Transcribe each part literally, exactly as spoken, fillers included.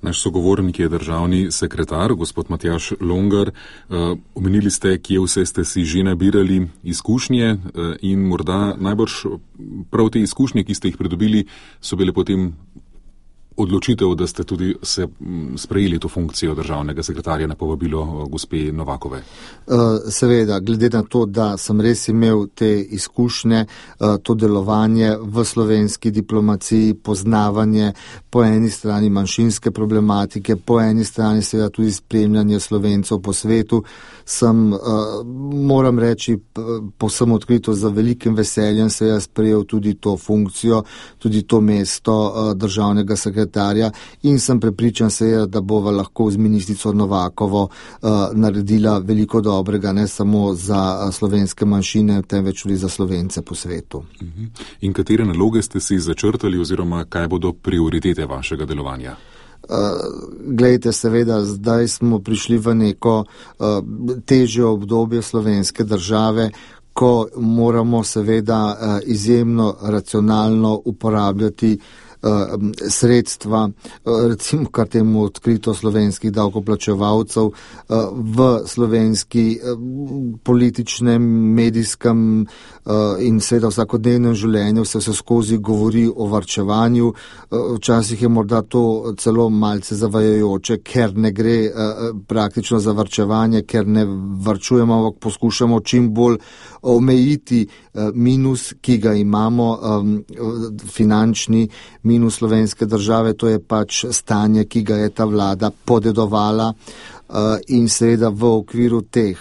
Naš sogovornik je državni sekretar, gospod Matjaž Logar. Omenili ste, kje vse ste si že nabirali izkušnje in morda najbrž prav te izkušnje, ki ste jih pridobili, so bile potem odločitev, da ste tudi se sprejeli to funkcijo državnega sekretarja na povabilo gospe Novakove. Seveda, glede na to, da sem res imel te izkušnje, to delovanje v slovenski diplomaciji, poznavanje po eni strani manjšinske problematike, po eni strani seveda tudi spremljanje Slovencev po svetu, sem, moram reči, povsem odkrito za velikim veseljem seveda sprejel tudi to funkcijo, tudi to mesto državnega sekretarja. In sem prepričan seveda, da bova lahko z ministrico Novakovo uh, naredila veliko dobrega, ne samo za slovenske manjšine, temveč tudi za Slovence po svetu. In katere naloge ste si začrtali oziroma kaj bodo prioritete vašega delovanja? Uh, glejte, seveda, zdaj smo prišli v neko uh, težje obdobje slovenske države, ko moramo seveda uh, izjemno racionalno uporabljati sredstva, recimo kar temu odkrito slovenskih davkoplačevalcev v slovenski političnem, medijskem in seveda vsakodnevnem življenju se vse skozi govori o varčevanju. Včasih je morda to celo malce zavajajoče, ker ne gre praktično za varčevanje, ker ne varčujemo, ampak poskušamo čim bolj omejiti minus, ki ga imamo, finančni minus slovenske države, to je pač stanje, ki ga je ta vlada podedovala in seveda v okviru teh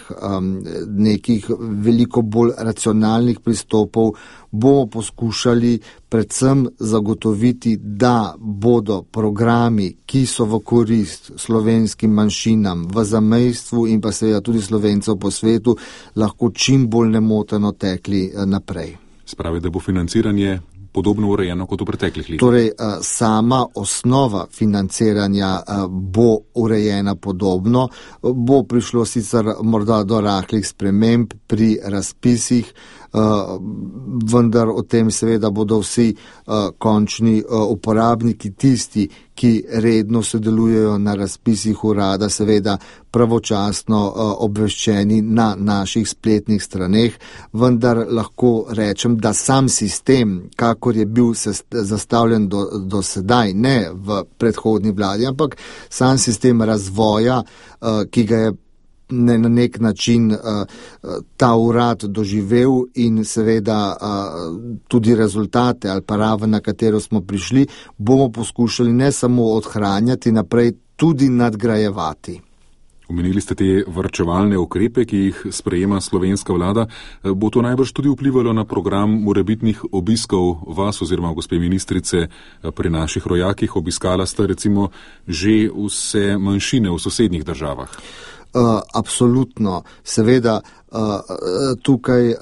nekih veliko bolj racionalnih pristopov bomo poskušali predvsem zagotoviti, da bodo programi, ki so v korist slovenskim manjšinam v zamejstvu in pa seveda tudi Slovencev po svetu, lahko čim bolj nemoteno tekli naprej. Spravi, da bo financiranje podobno urejeno kot v preteklih letih. Torej, sama osnova financiranja bo urejena podobno, bo prišlo sicer morda do rahlih sprememb pri razpisih, vendar o tem seveda bodo vsi končni uporabniki, tisti, ki redno sodelujejo na razpisih urada, seveda pravočasno obveščeni na naših spletnih straneh, vendar lahko rečem, da sam sistem, kakor je bil zastavljen do, do sedaj, ne v predhodni vladi, ampak sam sistem razvoja, ki ga je ne na nek način uh, ta urad doživel in seveda uh, tudi rezultate ali pa raven, na katero smo prišli, bomo poskušali ne samo odhranjati, naprej tudi nadgrajevati. Omenili ste te varčevalne ukrepe, ki jih sprejema slovenska vlada. Bo to najbrž tudi vplivalo na program morebitnih obiskov vas oziroma gospe ministrice pri naših rojakih? Obiskala sta recimo že vse manjšine v sosednjih državah. Uh, absolutno. Seveda uh, tukaj uh,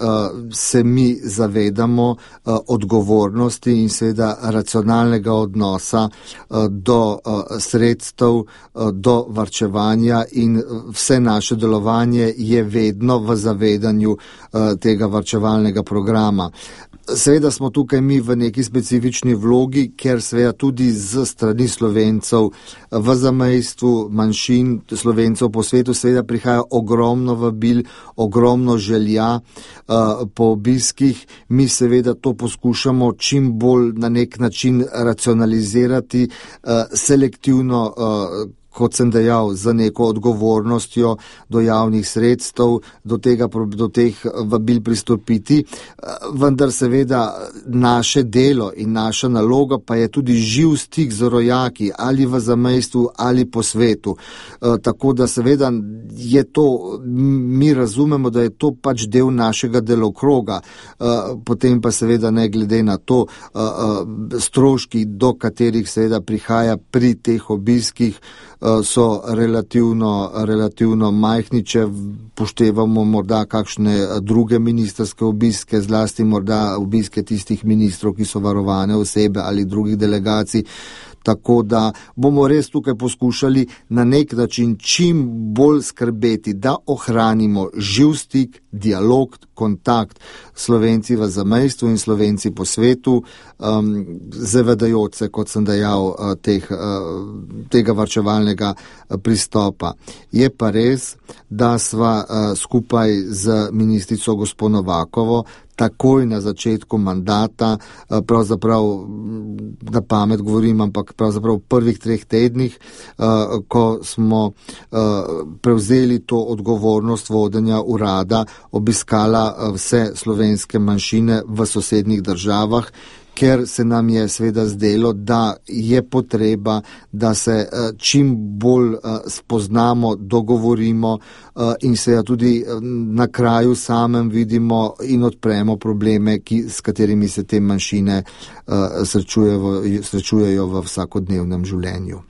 se mi zavedamo uh, odgovornosti in seveda racionalnega odnosa uh, do uh, sredstev, uh, do varčevanja in vse naše delovanje je vedno v zavedanju uh, tega varčevalnega programa. Seveda smo tukaj mi v neki specifični vlogi, ker seveda tudi z strani Slovencev v zamejstvu, manjšin Slovencev po svetu seveda prihaja ogromno vabil, ogromno želja uh, po obiskih. Mi seveda to poskušamo čim bolj na nek način racionalizirati, uh, selektivno uh, kot sem dejal, za neko odgovornostjo do javnih sredstev, do, tega, do teh vabil pristopiti, vendar seveda naše delo in naša naloga pa je tudi živ stik z rojaki ali v zamejstvu ali po svetu. Tako da seveda je to, mi razumemo, da je to pač del našega delokroga, potem pa seveda ne glede na to stroški, do katerih seveda prihaja pri teh obiskih, so relativno, relativno majhni, če poštevamo morda kakšne druge ministrske obiske, zlasti morda obiske tistih ministrov, ki so varovane osebe ali drugih delegacij. tako da bomo res tukaj poskušali na nek način čim bolj skrbeti, da ohranimo živ stik, dialog, kontakt Slovenci v zamejstvu in Slovenci po svetu, um, zavedajoč se, kot sem dejal, teh, tega varčevalnega pristopa. Je pa res, da sva skupaj z ministrico gospo Novakovo takoj na začetku mandata, pravzaprav na pamet govorim, ampak pravzaprav v prvih treh tednih, ko smo prevzeli to odgovornost vodenja urada, obiskala vse slovenske manjšine v sosednjih državah, ker se nam je seveda zdelo, da je potreba, da se čim bolj spoznamo, dogovorimo in seveda tudi na kraju samem vidimo in odpremo probleme, ki, s katerimi se te manjšine srečujejo, srečujejo v vsakodnevnem življenju.